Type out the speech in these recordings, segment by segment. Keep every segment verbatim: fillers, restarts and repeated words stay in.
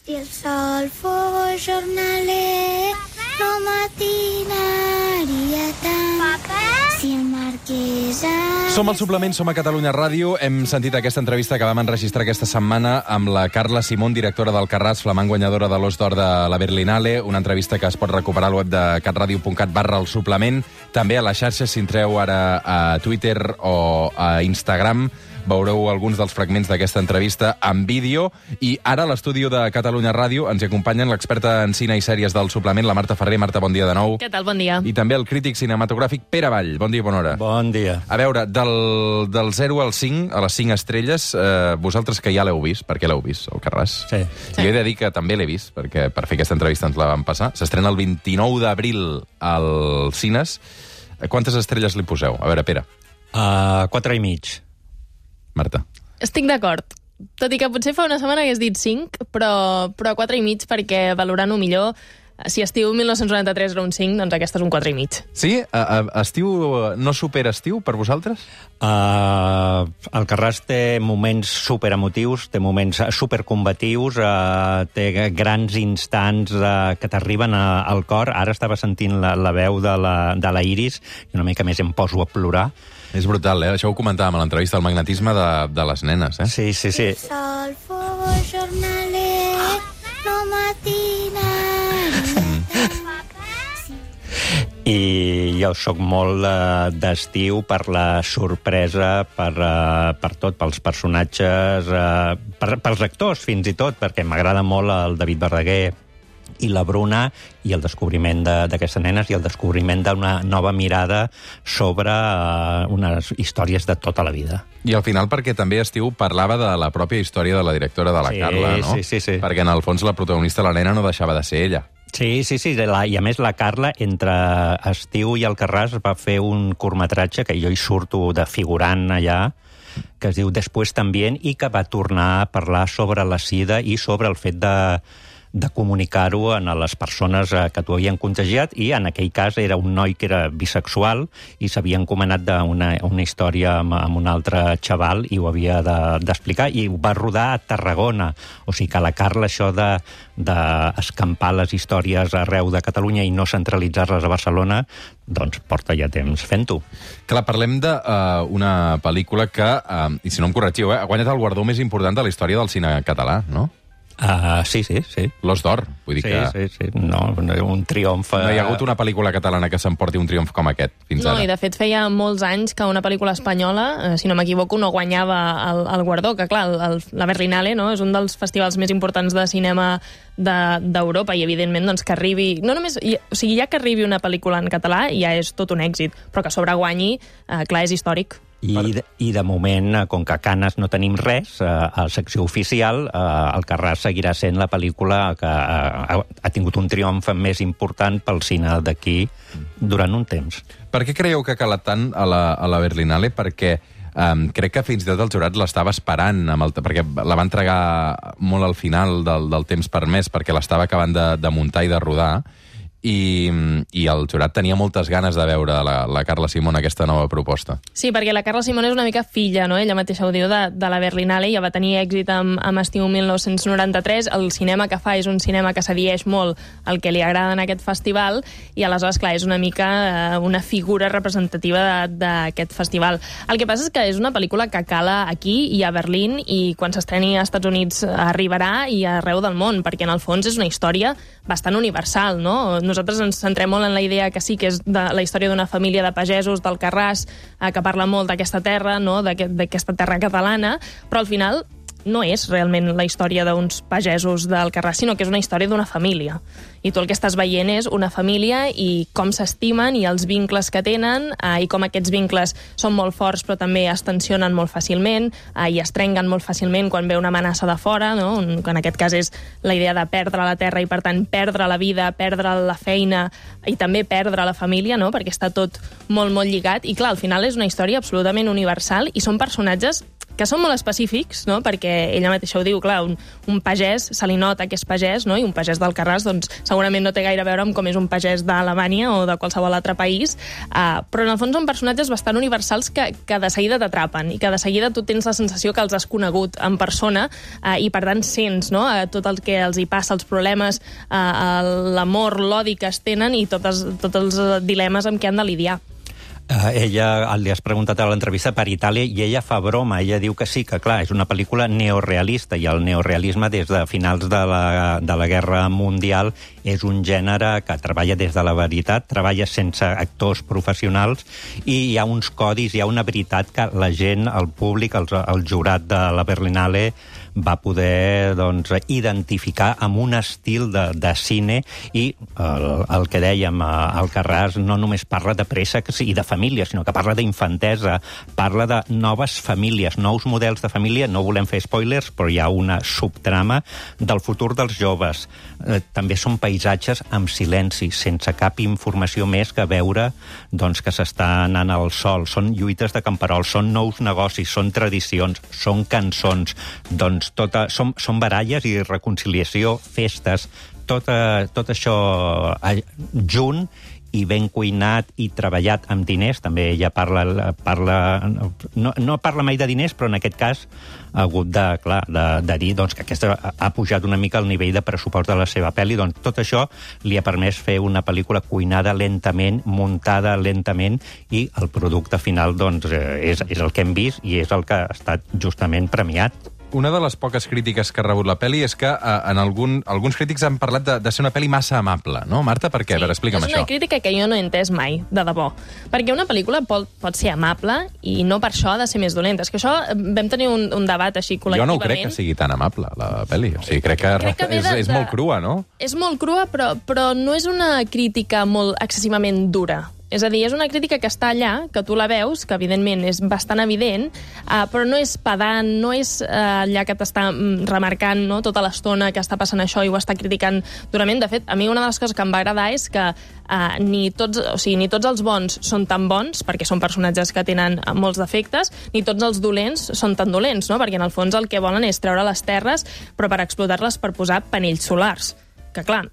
Si el sol fos jornaler, no matinaria tant. Papa? Si el marquès... Som al Suplement, som a Catalunya Ràdio. Hem sentit aquesta entrevista que vam enregistrar aquesta setmana amb la Carla Simón, directora d'Alcarràs, flamant guanyadora de l'Os d'Or de la Berlinale. Una entrevista que es pot recuperar al web de catradio punt cat barra el suplement. També a les xarxes, si entreu ara a Twitter o a Instagram, veureu alguns dels fragments d'aquesta entrevista en vídeo. I ara a l'estudi de Catalunya Ràdio ens acompanyen l'experta en cine i sèries del suplement, la Marta Ferrer. Marta, bon dia de nou. Què tal? Bon dia. I també el crític cinematogràfic Pere Vall. Bon dia i bona hora. Bon dia. A veure, del, del zero al cinc, a les cinc estrelles, eh, vosaltres que ja l'heu vist, per què l'heu vist, Alcarràs? Sí. sí. Jo he de dir que també l'he vist, perquè per fer aquesta entrevista ens la vam passar. S'estrena el vint-i-nou d'abril als cines. Quantes estrelles li poseu? A veure, Pere. Uh, quatre i mig. Marta. Estic d'acord. Tot i que potser fa una setmana hagués dit cinc, però, però quatre i mig, perquè valorant-ho millor, si estiu mil nou-cents noranta-tres era un cinc, doncs aquesta és un quatre i mig. Sí? A, a, estiu no supera estiu per vosaltres? Uh, Alcarràs té moments superemotius, té moments supercombatius, uh, té grans instants uh, que t'arriben a, al cor. Ara estava sentint la, la veu de la, de la Iris i una mica més em poso a plorar. És brutal, eh? Això ho comentàvem a l'entrevista, el magnetisme de, de les nenes, eh? Sí, sí, sí. El sol fos jornaler, no matinaria. I jo sóc molt uh, d'estiu per la sorpresa, per, uh, per tot, pels personatges, uh, per, pels actors fins i tot, perquè m'agrada molt el David Verdaguer i la Bruna, i el descobriment d'aquestes de, nenes i el descobriment d'una nova mirada sobre uh, unes històries de tota la vida. I al final perquè també estiu parlava de la pròpia història de la directora, de la sí, Carla, no? Sí, sí, sí. Perquè en el fons la protagonista, la nena, no deixava de ser ella. Sí, sí, sí. La, I a més la Carla, entre estiu i Alcarràs, va fer un curtmetratge que jo hi surto de figurant allà, que es diu Después también, i que va tornar a parlar sobre la sida i sobre el fet de de comunicar-ho a les persones que t'ho havien contagiat, i en aquell cas era un noi que era bisexual i s'havia encomanat d'una una història amb, amb un altre xaval i ho havia d'explicar, de, i ho va rodar a Tarragona. O sigui que la Carla, això de d'escampar les històries arreu de Catalunya i no centralitzar-les a Barcelona, doncs porta ja temps fent-ho. Clar, parlem d'una uh, pel·lícula que, uh, i si no em corregiu, eh, ha guanyat el guardó més important de la història del cine català, no? Uh, sí, sí, sí. L'Os d'Or, vull dir sí, que... Sí, sí, no, un triomf... No hi ha hagut una pel·lícula catalana que s'emporti un triomf com aquest, fins no, ara. No, i de fet feia molts anys que una pel·lícula espanyola, eh, si no m'equivoco, no guanyava el, el guardó, que clar, el, el, la Berlinale, no?, és un dels festivals més importants de cinema d'Europa, de, i evidentment doncs, que arribi... No només, i, o sigui, ja que arribi una pel·lícula en català ja és tot un èxit, però que a sobre guanyi, eh, clar, és històric. I de, I de moment, com que a Canes no tenim res, eh, a la secció oficial, eh, Alcarràs seguirà sent la pel·lícula que ha, ha tingut un triomf més important pel cine d'aquí durant un temps. Per què creieu que ha calat tant a la, a la Berlinale? Perquè um, crec que fins i tot el jurat l'estava esperant, amb el, perquè la va entregar molt al final del, del temps permès, perquè l'estava acabant de, de muntar i de rodar, I, i el jurat tenia moltes ganes de veure la, la Carla Simón aquesta nova proposta. Sí, perquè la Carla Simón és una mica filla, no? Ella mateixa ho diu, de, de la Berlinale, ja va tenir èxit amb, amb estiu mil nou-cents noranta-tres, el cinema que fa és un cinema que s'adhieix molt al que li agrada en aquest festival, i aleshores, clar, és una mica eh, una figura representativa d'aquest festival. El que passa és que és una pel·lícula que cala aquí i a Berlín, i quan s'estreni als Estats Units arribarà i arreu del món, perquè en el fons és una història bastant universal, no? Nosaltres ens centrem molt en la idea que sí, que és de la història d'una família de pagesos d'Alcarràs, eh, que parla molt d'aquesta terra, no?, d'aquesta terra catalana, però al final no és realment la història d'uns pagesos d'Alcarràs, sinó que és una història d'una família. I tu el que estàs veient és una família i com s'estimen i els vincles que tenen, eh, i com aquests vincles són molt forts però també es tensionen molt fàcilment, eh, i es trenquen molt fàcilment quan ve una amenaça de fora, no?, que en aquest cas és la idea de perdre la terra i per tant perdre la vida, perdre la feina i també perdre la família, no?, perquè està tot molt, molt lligat. I clar, al final és una història absolutament universal i són personatges que són molt específics, no? Perquè ella mateixa ho diu, clar, un, un pagès, se li nota que és pagès, no? I un pagès d'Alcarràs, doncs, segurament no té gaire a veure amb com és un pagès d'Alemanya o de qualsevol altre país, uh, però en el fons són personatges bastant universals que, que de seguida t'atrapen i que de seguida tu tens la sensació que els has conegut en persona uh, i per tant sents, no? Uh, tot el que els hi passa, els problemes, uh, l'amor, l'odi que es tenen i totes, tots els dilemes amb què han de lidiar. Uh, ella, li has preguntat a l'entrevista per Itàlia i ella fa broma, ella diu que sí, que clar, és una pel·lícula neorealista i el neorealisme des de finals de la, de la Guerra Mundial és un gènere que treballa des de la veritat, treballa sense actors professionals i hi ha uns codis, hi ha una veritat que la gent, el públic, el, el jurat de la Berlinale va poder doncs, identificar amb un estil de, de cine i el, el que dèiem, Alcarràs no només parla de préssecs i de família, sinó que parla d'infantesa, parla de noves famílies, nous models de família, no volem fer spoilers, però hi ha una subtrama del futur dels joves. Eh, també són paisatges amb silenci, sense cap informació més que veure doncs, que s'està anant al sol. Són lluites de camperols, són nous negocis, són tradicions, són cançons, doncs Tota, són, són baralles i reconciliació, festes, tot, tot això junt i ben cuinat i treballat amb diners. També ella parla... parla no, no parla mai de diners, però en aquest cas ha hagut de, clar, de, de dir doncs, que aquesta ha pujat una mica el nivell de pressupost de la seva pel·li. Doncs tot això li ha permès fer una pel·lícula cuinada lentament, muntada lentament, i el producte final doncs, és, és el que hem vist i és el que ha estat justament premiat. Una de les poques crítiques que ha rebut la pel·li és que eh, en algun, alguns crítics han parlat de, de ser una pel·li massa amable, no, Marta? Per què? Sí, a veure, explica'm això. És una crítica que jo no he entès mai, de debò. Perquè una pel·lícula pot, pot ser amable i no per això ha de ser més dolenta. És que això vam tenir un, un debat així col·lectivament. Jo no crec que sigui tan amable, la pel·li. O sigui, crec que, crec que és, de, és molt crua, no? És molt crua, però, però no és una crítica molt excessivament dura. És a dir, és una crítica que està allà, que tu la veus, que evidentment és bastant evident, uh, però no és pedant, no és uh, allà que t'està mm, remarcant, no, tota l'estona que està passant això i ho està criticant durament. De fet, a mi una de les coses que em va agradar és que uh, ni, tots, o sigui, ni tots els bons són tan bons, perquè són personatges que tenen molts defectes, ni tots els dolents són tan dolents, no? Perquè en el fons el que volen és treure les terres, però per explotar-les per posar panells solars. Que clar,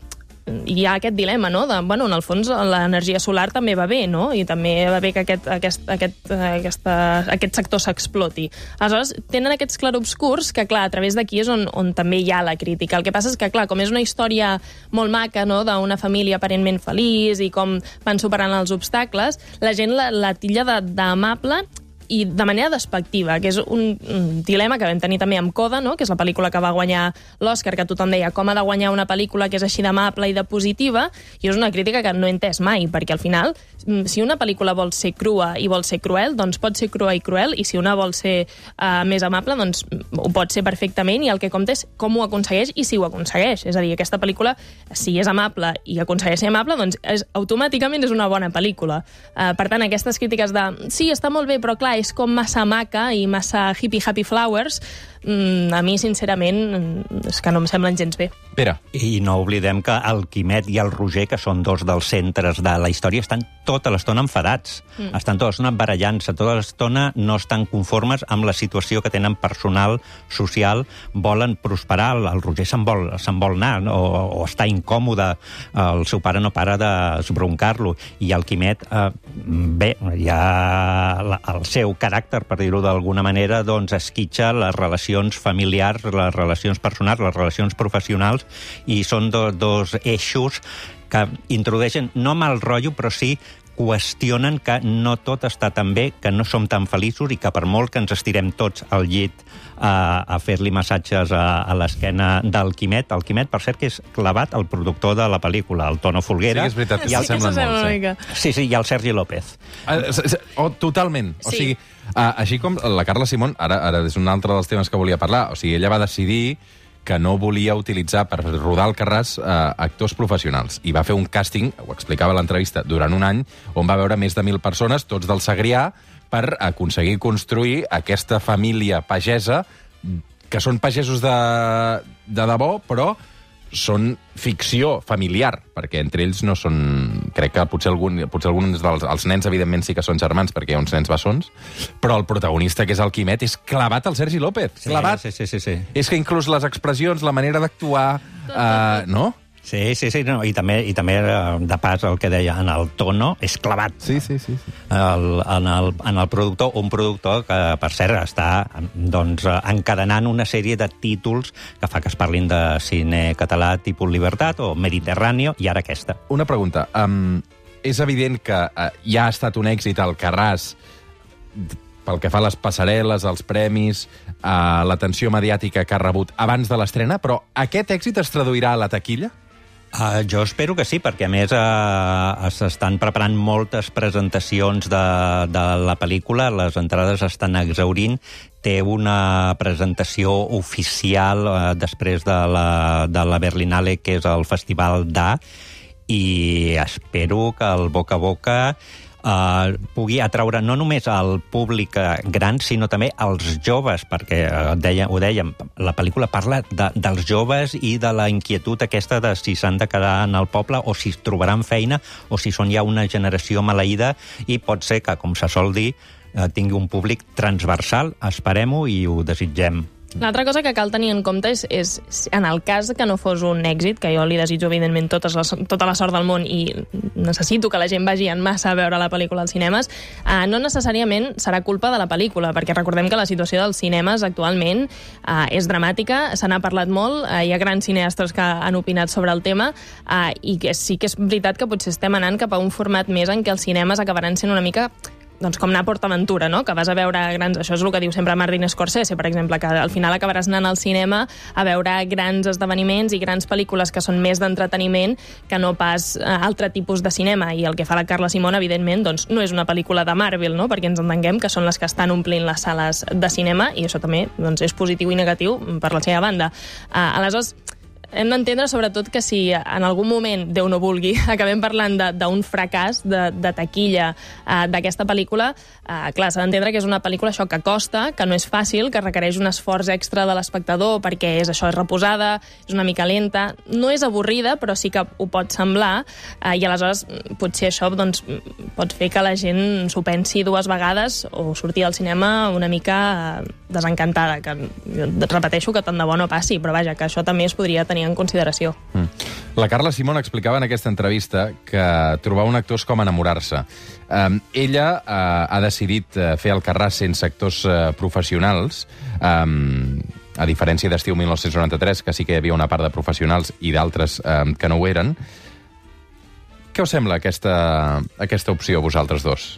hi ha aquest dilema, no? De, bueno, en el fons l'energia solar també va bé, no? I també va bé que aquest, aquest, aquest, aquesta, aquest sector s'exploti. Aleshores, tenen aquests clarobscurs que, clar, a través d'aquí és on, on també hi ha la crítica. El que passa és que, clar, com és una història molt maca, no?, d'una família aparentment feliç i com van superant els obstacles, la gent la, la tilla d'amable i de manera despectiva, que és un, un dilema que vam tenir també amb Coda, no?, que és la pel·lícula que va guanyar l'Oscar, que tothom deia com ha de guanyar una pel·lícula que és així d'amable i de positiva, i és una crítica que no he entès mai, perquè al final, si una pel·lícula vol ser crua i vol ser cruel, doncs pot ser crua i cruel, i si una vol ser uh, més amable, doncs ho pot ser perfectament, i el que compta és com ho aconsegueix i si ho aconsegueix. És a dir, aquesta pel·lícula, si és amable i aconsegueix ser amable, doncs és, automàticament és una bona pel·lícula. Uh, per tant, aquestes crítiques de sí, està molt bé, però clar, és com massa maca i massa hippie happy flowers, mm, a mi, sincerament, és que no em semblen gens bé. Pere. I no oblidem que el Quimet i el Roger, que són dos dels centres de la història, estan tota l'estona enfadats. Mm. Estan tota l'estona barallant-se, tota l'estona no estan conformes amb la situació que tenen personal, social, volen prosperar. El Roger se'n vol, se'n vol anar, no? o, o està incòmode, el seu pare no para de broncar-lo, i el Quimet, eh, bé, ja la, el seu caràcter, per dir-ho d'alguna manera, doncs esquitxa les relacions familiars, les relacions personals, les relacions professionals, i són do, dos eixos que introdueixen no mal rotllo, però sí qüestionen que no tot està tan bé, que no som tan feliços i que per molt que ens estirem tots al llit a, a fer-li massatges a, a l'esquena del Quimet. El Quimet, per cert, que és clavat el productor de la pel·lícula, el Tono Folguera. Sí, és veritat, que sí, s'assemblen sí, molt. Sí. sí, sí, i el Sergi López. Uh, oh, totalment. O Sí. sigui, uh, així com la Carla Simón, ara, ara és un altre dels temes que volia parlar, o sigui, ella va decidir que no volia utilitzar per rodar Alcarràs eh, actors professionals. I va fer un càsting, ho explicava a l'entrevista, durant un any, on va veure més de mil persones, tots del Segrià, per aconseguir construir aquesta família pagesa, que són pagesos de, de debò, però són ficció familiar, perquè entre ells no són crec que potser, algun, potser alguns dels els nens, evidentment, sí que són germans, perquè hi ha uns nens bessons, però el protagonista, que és el Quimet, és clavat al Sergi López. Sí, clavat. Sí, sí, sí, sí. És que inclús les expressions, la manera d'actuar... Uh, no? Sí, sí, sí, no, i també, i també de pas el que deia, en el tono és clavat. Sí, sí, sí. sí. El, en, el, en el productor, un productor que, per cert, està doncs, encadenant una sèrie de títols que fa que es parlin de cine català tipus Libertat o Mediterráneo, i ara aquesta. Una pregunta. Um, és evident que uh, ja ha estat un èxit al Carràs pel que fa a les passarel·les, als premis, a l'atenció mediàtica que ha rebut abans de l'estrena, però aquest èxit es traduirà a la taquilla? Uh, jo espero que sí, perquè a més uh, s'estan preparant moltes presentacions de, de la pel·lícula, les entrades estan exhaurint, té una presentació oficial uh, després de la, de la Berlinale, que és el Festival d'A, i espero que el boca a boca Uh, pugui atraure no només al públic gran, sinó també als joves, perquè uh, deia, ho dèiem, la pel·lícula parla de, dels joves i de la inquietud aquesta de si s'han de quedar en el poble o si trobaran feina o si són ja una generació maleïda, i pot ser que, com se sol dir, uh, tingui un públic transversal. Esperem-ho i ho desitgem. L'altra cosa que cal tenir en compte és, és, en el cas que no fos un èxit, que jo li desitjo, evidentment, totes les, tota la sort del món i necessito que la gent vagi en massa a veure la pel·lícula als cinemes, eh, no necessàriament serà culpa de la pel·lícula, perquè recordem que la situació dels cinemes actualment eh, és dramàtica, se n'ha parlat molt, eh, hi ha grans cineastes que han opinat sobre el tema, eh, i que sí que és veritat que potser estem anant cap a un format més en què els cinemes acabaran sent una mica... doncs com anar a PortAventura, no? Que vas a veure grans... Això és el que diu sempre Martin Scorsese, per exemple, que al final acabaràs anant al cinema a veure grans esdeveniments i grans pel·lícules que són més d'entreteniment que no pas eh, altre tipus de cinema. I el que fa la Carla Simón, evidentment, doncs, no és una pel·lícula de Marvel, no? Perquè ens entenguem que són les que estan omplint les sales de cinema, i això també doncs, és positiu i negatiu per la seva banda. Uh, aleshores, hem d'entendre, sobretot, que si en algun moment, Déu no vulgui, acabem parlant d'un fracàs de, de taquilla eh, d'aquesta pel·lícula, eh, clar, s'ha d'entendre que és una pel·lícula això que costa, que no és fàcil, que requereix un esforç extra de l'espectador, perquè és això, és reposada, és una mica lenta, no és avorrida, però sí que ho pot semblar, eh, i aleshores potser això doncs, pot fer que la gent s'ho pensi dues vegades o sortir al cinema una mica eh, desencantada, que jo repeteixo que tant de bo no passi, però vaja, que això també es podria tenir en consideració. Mm. La Carla Simón explicava en aquesta entrevista que trobar un actor és com enamorar-se. Um, ella uh, ha decidit uh, fer el Carràs sense actors uh, professionals, um, a diferència d'Estiu mil nou-cents noranta-tres, que sí que hi havia una part de professionals i d'altres um, que no ho eren. Què us sembla aquesta, aquesta opció, vosaltres dos?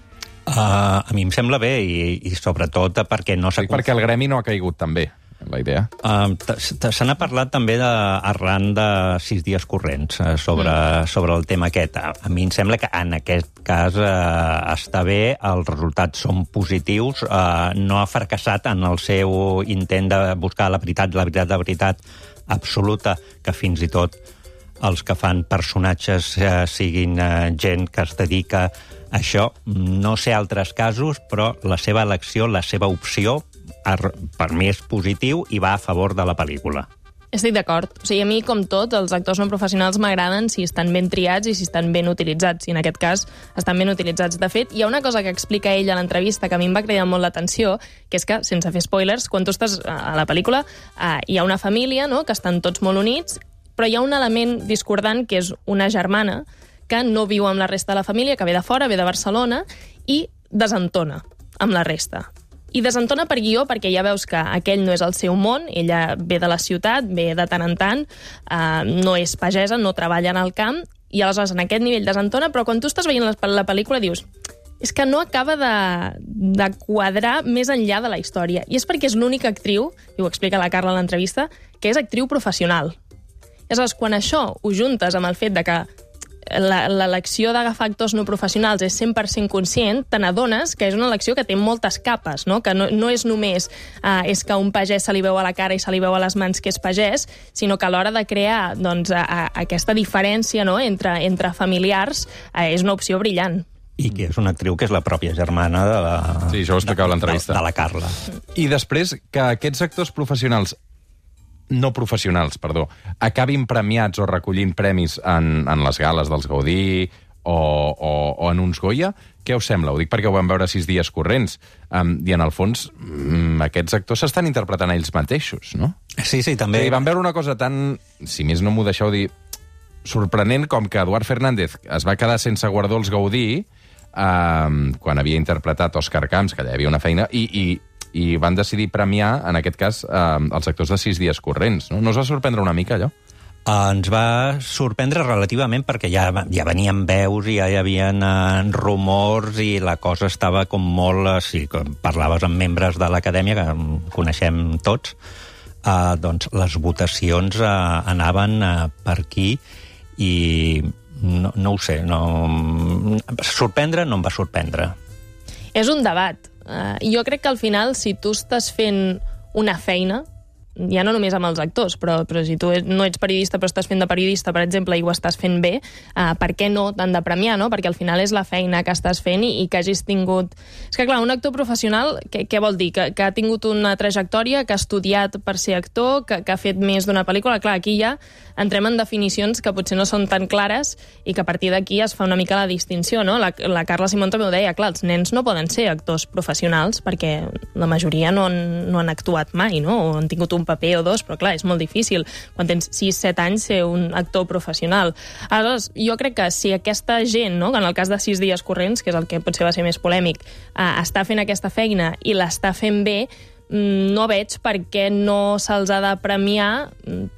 Uh, a mi em sembla bé, i, i sobretot perquè no s'ha... Perquè el gremi no ha caigut tan bé, la idea. Uh, se n'ha parlat també de, arran de sis dies corrents uh, sobre, mm. sobre el tema aquest. A, a mi em sembla que en aquest cas uh, està bé, els resultats són positius, uh, no ha fracassat en el seu intent de buscar la veritat, la veritat, la veritat absoluta, que fins i tot els que fan personatges uh, siguin uh, gent que es dedica a això. No sé altres casos, però la seva elecció, la seva opció, per mi és positiu i va a favor de la pel·lícula. Estic d'acord. O sigui, a mi, com tot, els actors no professionals m'agraden si estan ben triats i si estan ben utilitzats. I en aquest cas estan ben utilitzats. De fet, hi ha una cosa que explica ell a l'entrevista que a mi em va cridar molt l'atenció, que és que, sense fer spoilers, quan tu estàs a la pel·lícula, eh, hi ha una família, no?, que estan tots molt units, però hi ha un element discordant, que és una germana que no viu amb la resta de la família, que ve de fora, ve de Barcelona, i desentona amb la resta. I desentona per guió, perquè ja veus que aquell no és el seu món, ella ve de la ciutat, ve de tant en tant, eh, no és pagesa, no treballa en el camp, i aleshores en aquest nivell desentona, però quan tu estàs veient la, la pel·lícula dius és que no acaba de, de quadrar més enllà de la història. I és perquè és l'única actriu, i ho explica la Carla a l'entrevista, que és actriu professional. I aleshores, quan això ho juntes amb el fet de que l'elecció d'agafar actors no professionals és cent per cent conscient, te n'adones que és una elecció que té moltes capes, no? Que no, no és només uh, és que un pagès se li veu a la cara i se li veu a les mans que és pagès, sinó que a l'hora de crear doncs, a, a, aquesta diferència, no?, entre, entre familiars uh, és una opció brillant. I que és una actriu que és la pròpia germana de la, sí, això ho explicava a l'entrevista. De, de la Carla. I després que aquests actors professionals no professionals, perdó, acabin premiats o recollint premis en, en les gales dels Gaudí o, o, o en uns Goya. Què us sembla? Ho dic perquè ho vam veure sis dies corrents. Um, I en el fons, um, aquests actors s'estan interpretant ells mateixos, no? Sí, sí, també. I vam veure una cosa tan, si més no m'ho deixeu dir, sorprenent com que Eduard Fernández es va quedar sense guardó als Gaudí um, quan havia interpretat Òscar Camps, que allà hi havia una feina, i, i, i van decidir premiar, en aquest cas, um, els actors de sis dies corrents. No, no us va sorprendre una mica, allò? Ens va sorprendre relativament perquè ja, ja venien veus i ja hi havia uh, rumors i la cosa estava com molt... Uh, sí, com parlaves amb membres de l'acadèmia, que coneixem tots, uh, doncs les votacions uh, anaven uh, per aquí i no, no ho sé, no... sorprendre no em va sorprendre. És un debat. Uh, jo crec que al final, si tu estàs fent una feina, ja no només amb els actors, però, però si tu no ets periodista però estàs fent de periodista, per exemple, i ho estàs fent bé, uh, per què no t'han de premiar, no? Perquè al final és la feina que estàs fent i, i que hagis tingut... És que, clar, un actor professional, què, què vol dir? Que, que ha tingut una trajectòria, que ha estudiat per ser actor, que, que ha fet més d'una pel·lícula. Clar, aquí ja entrem en definicions que potser no són tan clares i que a partir d'aquí es fa una mica la distinció, no? La, la Carla Simón també ho deia, clar, els nens no poden ser actors professionals perquè la majoria no han, no han actuat mai, no? O han tingut un paper o dos, però clar, és molt difícil quan tens sis set anys ser un actor professional. Aleshores, jo crec que si aquesta gent, no, en el cas de sis dies corrents, que és el que potser va ser més polèmic, eh, està fent aquesta feina i l'està fent bé, no veig per què no se'ls ha de premiar,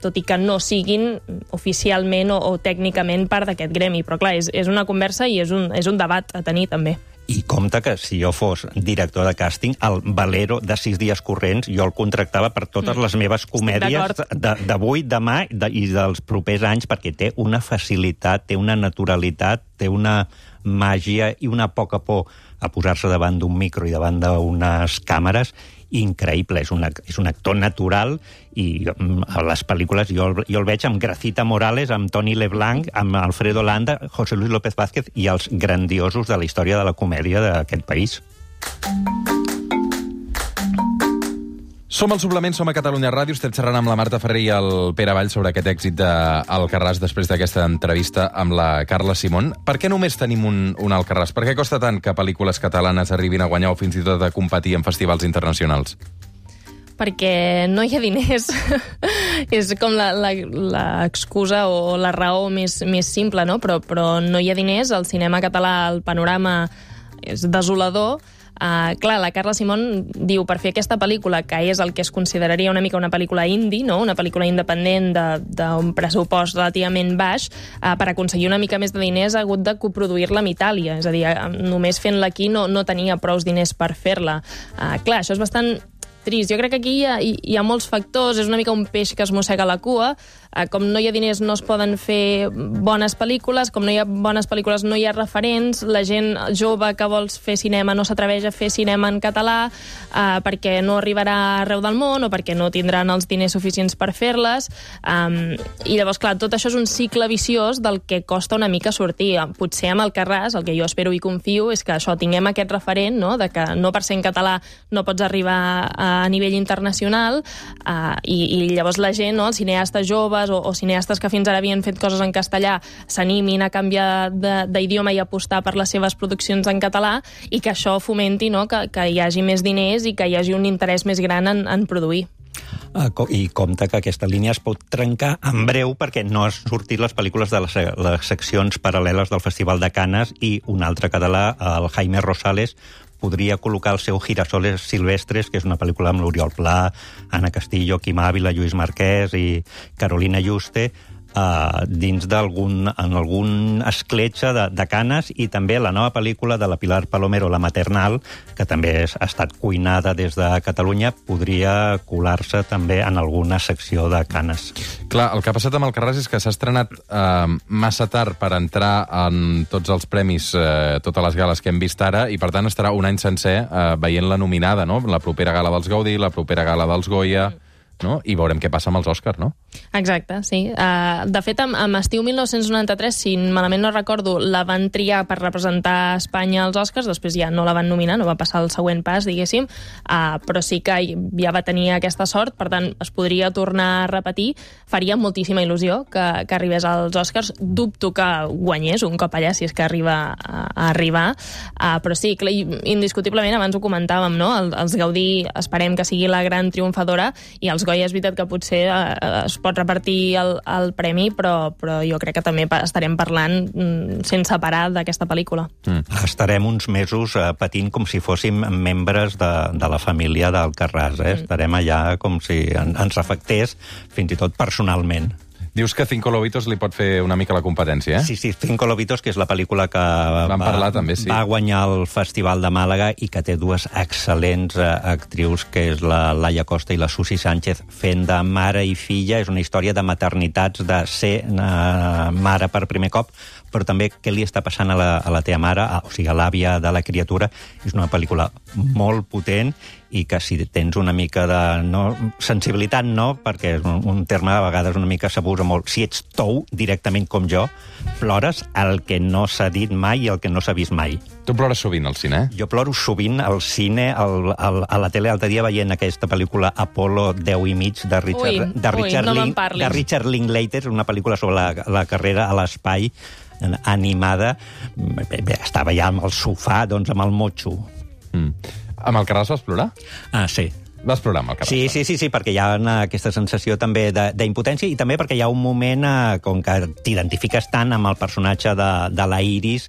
tot i que no siguin oficialment o, o tècnicament part d'aquest gremi. Però clar, és, és una conversa i és un, és un debat a tenir també. I compte que si jo fos director de càsting, el Valero de sis dies corrents jo el contractava per totes les meves comèdies d'avui, demà de, i dels propers anys, perquè té una facilitat, té una naturalitat, té una màgia i una poca por a posar-se davant d'un micro i davant d'unes càmeres increïble. És un, és un actor natural i a les pel·lícules jo, jo el veig amb Gracita Morales, amb Toni Leblanc, amb Alfredo Landa, José Luis López Vázquez i els grandiosos de la història de la comèdia d'aquest país. Som al Suplement, som a Catalunya Ràdio, estem xerrant amb la Marta Ferrer i el Pere Vall sobre aquest èxit d'Alcarràs després d'aquesta entrevista amb la Carla Simón. Per què només tenim un, un Alcarràs? Per què costa tant que pel·lícules catalanes arribin a guanyar o fins i tot a competir en festivals internacionals? Perquè no hi ha diners. És com l'excusa o la raó més, més simple, no? Però, però no hi ha diners, el cinema català, el panorama és desolador. Uh, clar, la Carla Simón diu per fer aquesta pel·lícula, que és el que es consideraria una mica una pel·lícula indie, no? Una pel·lícula independent d'un pressupost relativament baix, uh, per aconseguir una mica més de diners ha hagut de coproduir-la amb Itàlia. És a dir, només fent-la aquí no, no tenia prous diners per fer-la. Uh, clar, això és bastant trist. Jo crec que aquí hi ha, hi ha molts factors, és una mica un peix que es mossega la cua. Com no hi ha diners no es poden fer bones pel·lícules, com no hi ha bones pel·lícules no hi ha referents, la gent jove que vol fer cinema no s'atreveix a fer cinema en català eh, perquè no arribarà arreu del món o perquè no tindran els diners suficients per fer-les. Um, I llavors, clar, tot això és un cicle viciós del que costa una mica sortir. Potser amb Alcarràs, el que jo espero i confio és que això, tinguem aquest referent, no?, de que no per ser en català no pots arribar a, a nivell internacional, uh, i, i llavors la gent, no?, els cineastes joves o, o cineastes que fins ara havien fet coses en castellà s'animin a canviar d'idioma i apostar per les seves produccions en català, i que això fomenti, no?, que, que hi hagi més diners i que hi hagi un interès més gran en, en produir. I compte que aquesta línia es pot trencar en breu perquè no han sortit les pel·lícules de les, les seccions paral·leles del Festival de Canes, i un altre català, el Jaime Rosales, podria col·locar el seu Girasoles Silvestres, que és una pel·lícula amb l'Oriol Pla, Anna Castillo, Quim Ávila, Lluís Marquès i Carolina Juste, Uh, dins d'algun en algun escletxa de, de Canes, i també la nova pel·lícula de la Pilar Palomero, La Maternal, que també ha estat cuinada des de Catalunya, podria colar-se també en alguna secció de Canes. Clar, el que ha passat amb Alcarràs és que s'ha estrenat eh, massa tard per entrar en tots els premis, eh, totes les gales que hem vist ara, i per tant estarà un any sencer eh, veient-la nominada, no? La propera gala dels Gaudí, la propera gala dels Goya, no? I veurem què passa amb els Oscars, no? Exacte, sí. Uh, de fet, amb, amb Estiu mil nou-cents noranta-tres, si malament no recordo, la van triar per representar Espanya als Oscars, després ja no la van nominar, no va passar el següent pas, diguéssim, uh, però sí que ja va tenir aquesta sort, per tant, es podria tornar a repetir. Faria moltíssima il·lusió que, que arribés als Oscars. Dubto que guanyés un cop allà, si és que arriba a, a arribar, uh, però sí, clar, indiscutiblement, abans ho comentàvem, no? El, els Gaudí esperem que sigui la gran triomfadora, i els Goya és veritat que potser eh, es pot repartir el, el premi, però, però jo crec que també estarem parlant mm, sense parar d'aquesta pel·lícula. Mm. Estarem uns mesos eh, patint com si fóssim membres de, de la família d'Alcarràs. Eh? Mm. Estarem allà com si en, ens afectés, fins i tot personalment. Dius que Cinco Lobitos li pot fer una mica la competència, eh? Sí, sí, Cinco Lobitos, que és la pel·lícula que Vam va, parlar, també, sí. va guanyar el Festival de Màlaga i que té dues excel·lents uh, actrius, que és la Laia Costa i la Susi Sánchez, fent de mare i filla. És una història de maternitats, de ser uh, mare per primer cop, però també què li està passant a la, a la teva mare, a, o sigui, a l'àvia de la criatura. És una pel·lícula molt potent i que si tens una mica de... No, sensibilitat no, perquè és un, un terme a vegades una mica s'abusa molt. Si ets tou, directament com jo, plores el que no s'ha dit mai i el que no s'ha vist mai. Tu plores sovint al cine, eh? Jo ploro sovint al cine, al, al, a la tele, l'altre dia veient aquesta pel·lícula Apolo deu i mig de Richard, ui, de Richard, ui, no Link, de Richard Linklater, una pel·lícula sobre la, la carrera a l'espai, animada. Bé, bé, estava ja amb el sofà, doncs amb el motxo. Mm. Amb el Carràs vas plorar? Ah, sí. Vas plorar amb el Carràs? Sí, sí, sí, sí, perquè hi ha una, aquesta sensació també d'impotència, i també perquè hi ha un moment, eh, com que t'identifiques tant amb el personatge de, de la Iris,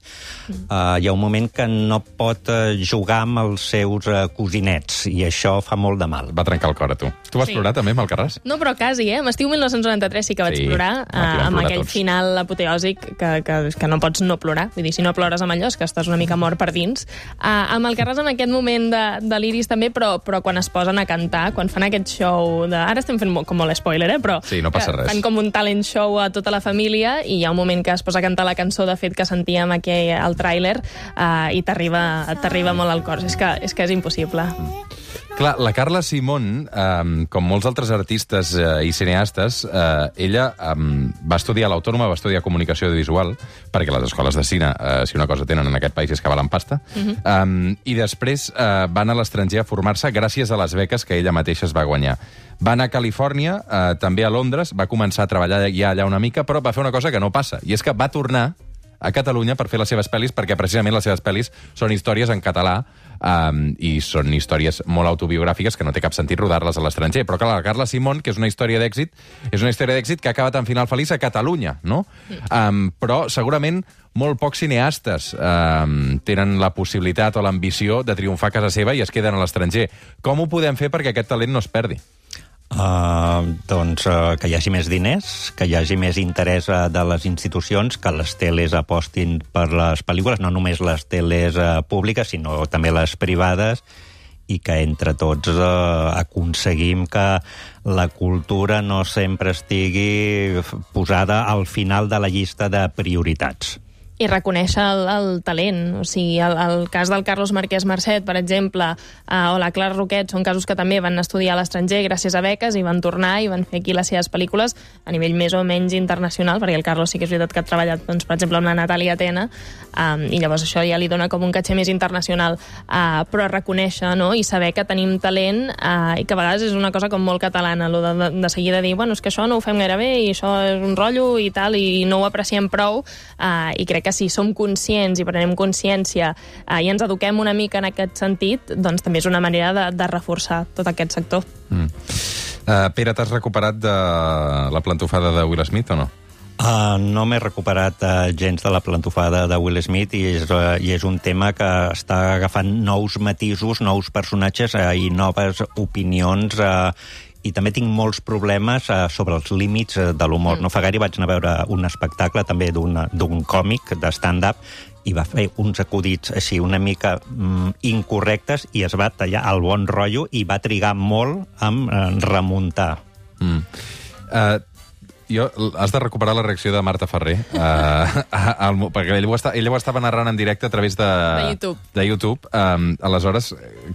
eh, hi ha un moment que no pot eh, jugar amb els seus eh, cosinets, i això fa molt de mal. Va trencar el cor a tu. Tu vas Sí. plorar també amb el Carràs? No, però quasi, eh? Amb Estiu mil nou-cents noranta-tres sí que vaig Sí, plorar, aquí eh, vam amb plorar aquell tots. final apoteòsic que, que, que no pots no plorar. Vull dir, si no plores amb allò és que estàs una mica mort per dins. Eh, amb el Carràs en aquest moment de, de l'Iris també, però, però quan es posen a cantar, quan fan aquest show de... Ara estem fent molt, com molt spoiler, eh? Però Sí, no passa res. fan com un talent show a tota la família, i hi ha un moment que es posa a cantar la cançó, de fet, que sentíem aquí al tràiler, eh, i t'arriba t'arriba molt al cor. És que és, que és impossible. Clar, la Carla Simón, eh, com molts altres artistes eh, i cineastes, eh, ella eh, va estudiar a l'Autònoma, va estudiar comunicació audiovisual, perquè les escoles de cine, eh, si una cosa tenen en aquest país és que valen pasta, uh-huh. eh, i després eh, va anar a l'estranger a formar-se gràcies a les beques que ella mateixa es va guanyar. Va anar a Califòrnia, eh, també a Londres, va començar a treballar ja allà una mica, però va fer una cosa que no passa, i és que va tornar a Catalunya per fer les seves pel·lis, perquè precisament les seves pel·lis són històries en català, um, i són històries molt autobiogràfiques que no té cap sentit rodar-les a l'estranger. Però clar, la Carla Simón, que és una història d'èxit, és una història d'èxit que ha acabat en final feliç a Catalunya, no? Um, però segurament molt pocs cineastes um, tenen la possibilitat o l'ambició de triomfar a casa seva i es queden a l'estranger. Com ho podem fer perquè aquest talent no es perdi? Uh, doncs uh, que hi hagi més diners, que hi hagi més interès uh, de les institucions, que les teles apostin per les pel·lícules, no només les teles uh, públiques, sinó també les privades, i que entre tots uh, aconseguim que la cultura no sempre estigui posada al final de la llista de prioritats. I reconèixer el, el talent. O sigui, el, el cas del Carlos Marquès Marcet, per exemple, eh, o la Clara Roquet, són casos que també van estudiar a l'estranger gràcies a beques i van tornar i van fer aquí les seves pel·lícules a nivell més o menys internacional, perquè el Carlos sí que és veritat que ha treballat, doncs, per exemple, amb la Natàlia Tena, um, i llavors això ja li dona com un caché més internacional. Uh, però reconèixer, no?, i saber que tenim talent, uh, i que a vegades és una cosa com molt catalana, lo de, de, de seguida dir, bueno, és que això no ho fem gaire bé i això és un rotllo i tal, i no ho apreciem prou, uh, i crec que si som conscients i prenem consciència eh, i ens eduquem una mica en aquest sentit, doncs també és una manera de, de reforçar tot aquest sector. Mm. Uh, Pere, t'has recuperat de la plantofada de Will Smith o no? Uh, no m'he recuperat uh, gens de la plantofada de Will Smith, i és, uh, i és un tema que està agafant nous matisos, nous personatges uh, i noves opinions, uh, i també tinc molts problemes uh, sobre els límits uh, de l'humor. Mm. No fa gaire vaig anar a veure un espectacle també d'un còmic de stand-up, i va fer uns acudits així una mica mm, incorrectes, i es va tallar el bon rotllo i va trigar molt en uh, remuntar. Mm. Uh, Jo, has de recuperar la reacció de Marta Ferrer, uh, al, perquè ella ho, està, ella ho estava narrant en directe a través de... De YouTube. De YouTube. Um, aleshores,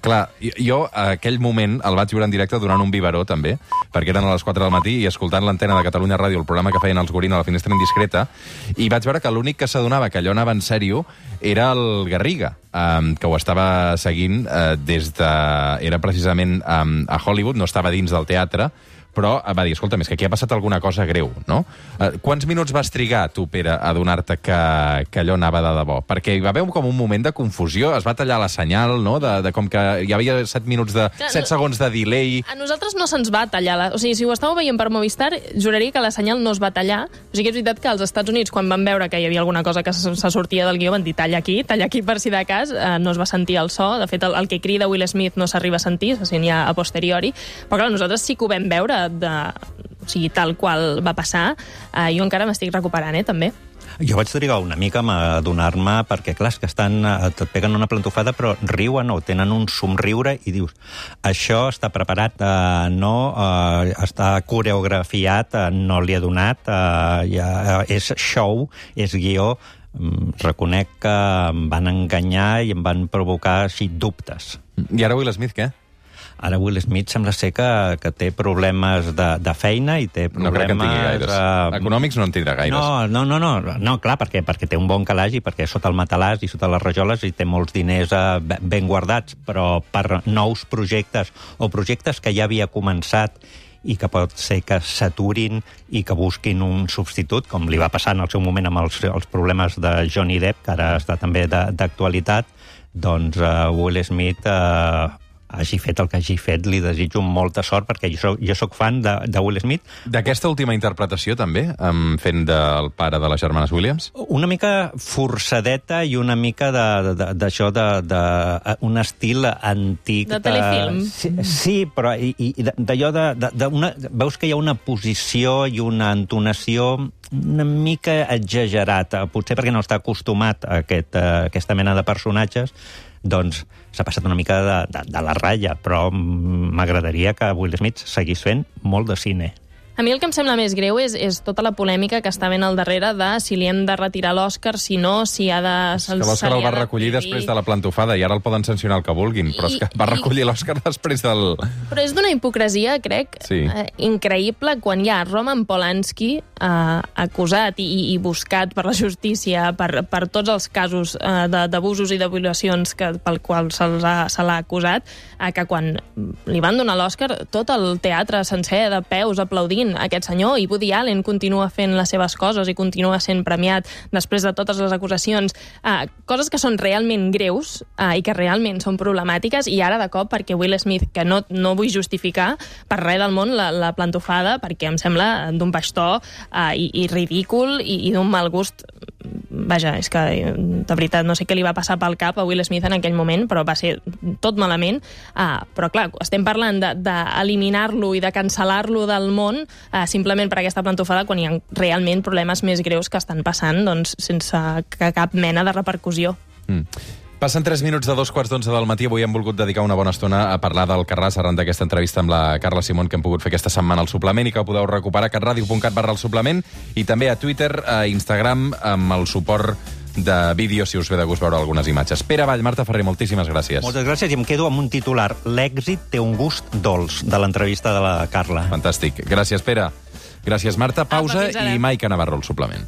clar, jo aquell moment el vaig veure en directe durant un biberó, també, perquè eren a les quatre del matí i escoltant l'antena de Catalunya Ràdio, el programa que feien els Gorina a la Finestra Indiscreta, i vaig veure que l'únic que s'adonava que allò anava en sèrio era el Garriga, um, que ho estava seguint uh, des de... Era precisament um, a Hollywood, no estava dins del teatre, però va dir, escolta, és que aquí ha passat alguna cosa greu, no? Uh, quants minuts vas trigar, tu, Pere, a adonar-te que, que allò anava de debò? Perquè hi va haver com un moment de confusió, es va tallar la senyal, no?, de, de com que hi havia set minuts de... Clar, set segons de delay... A nosaltres no se'ns va tallar. La... O sigui, si ho estàveu veient per Movistar, juraria que la senyal no es va tallar. O sigui, és veritat que als Estats Units, quan van veure que hi havia alguna cosa que se sortia del guió, van dir, talla aquí, talla aquí per si de cas, eh, no es va sentir el so. De fet, el, el que crida Will Smith no s'arriba a sentir, se sent ja a posteriori. Però, clar, nosaltres sí que ho vam veure de... O sigui, tal qual va passar. Uh, jo encara m'estic recuperant, eh, també. Jo vaig trigar una mica a adonar-me, perquè, clar, és que estan, et peguen una plantofada, però riuen o tenen un somriure i dius, això està preparat, eh, no, eh, està coreografiat, eh, no li ha donat, eh, ja, eh, és show, és guió. Reconec que em van enganyar i em van provocar així dubtes. I ara Will Smith, què? Ara Will Smith sembla ser que, que té problemes de, de feina i té problemes... No crec que en tingui gaires. Uh... Econòmics no en tindrà gaires. No, no, no, no, no clar, perquè, perquè té un bon calaix i perquè sota el matalàs i sota les rajoles i té molts diners uh, ben guardats, però per nous projectes o projectes que ja havia començat i que pot ser que s'aturin i que busquin un substitut, com li va passar en el seu moment amb els, els problemes de Johnny Depp, que ara està també d'actualitat, doncs uh, Will Smith... Uh, hagi fet el que hagi fet, li desitjo molta sort, perquè jo soc, jo soc fan de, de Will Smith. D'aquesta última interpretació, també, um, fent del pare de les germanes Williams? Una mica forçadeta i una mica d'això, de, de, de, de, un estil antic. De telefilm. Sí, sí, però i, i d'allò de, de, de una, veus que hi ha una posició i una entonació una mica exagerada, potser perquè no està acostumat a, aquest, a aquesta mena de personatges, doncs s'ha passat una mica de, de, de la ratlla, però m'agradaria que Will Smith seguís fent molt de cine. A mi el que em sembla més greu és, és tota la polèmica que està ben al darrere de si li hem de retirar l'Òscar, si no, si ha de... És que l'Òscar el va recollir després de la plantofada i ara el poden sancionar el que vulguin, però és que va recollir l'Òscar després del... Però és d'una hipocresia, crec, sí. eh, increïble, quan hi ha Roman Polanski eh, acusat i, i buscat per la justícia per, per tots els casos eh, d'abusos i de violacions que, pel qual se l'ha acusat, eh, que quan li van donar l'Òscar, tot el teatre sencer de peus aplaudint aquest senyor, i Woody Allen continua fent les seves coses i continua sent premiat després de totes les acusacions, eh, coses que són realment greus eh, i que realment són problemàtiques, i ara de cop perquè Will Smith, que no, no vull justificar per res del món la, la plantofada, perquè em sembla d'un baix to eh, i, i ridícul i, i d'un mal gust. Vaja, és que de veritat no sé què li va passar pel cap a Will Smith en aquell moment, però va ser tot malament. Ah, però clar, estem parlant d'eliminar-lo de, de i de cancel·lar-lo del món eh, simplement per aquesta plantofada, quan hi ha realment problemes més greus que estan passant, doncs, sense cap mena de repercussió. Mm. Passen tres minuts de dos quarts d'onze del matí. Avui hem volgut dedicar una bona estona a parlar del Carràs arran d'aquesta entrevista amb la Carla Simón que hem pogut fer aquesta setmana al suplement i que podeu recuperar a catradio punt cat barra el suplement i també a Twitter, a Instagram, amb el suport de vídeo, si us ve de gust veure algunes imatges. Pere Vall, Marta Ferrer, moltíssimes gràcies. Moltes gràcies, i em quedo amb un titular. L'èxit té un gust dolç, de l'entrevista de la Carla. Fantàstic. Gràcies, Pere. Gràcies, Marta. Pausa Apa, i Maica Navarro, el suplement.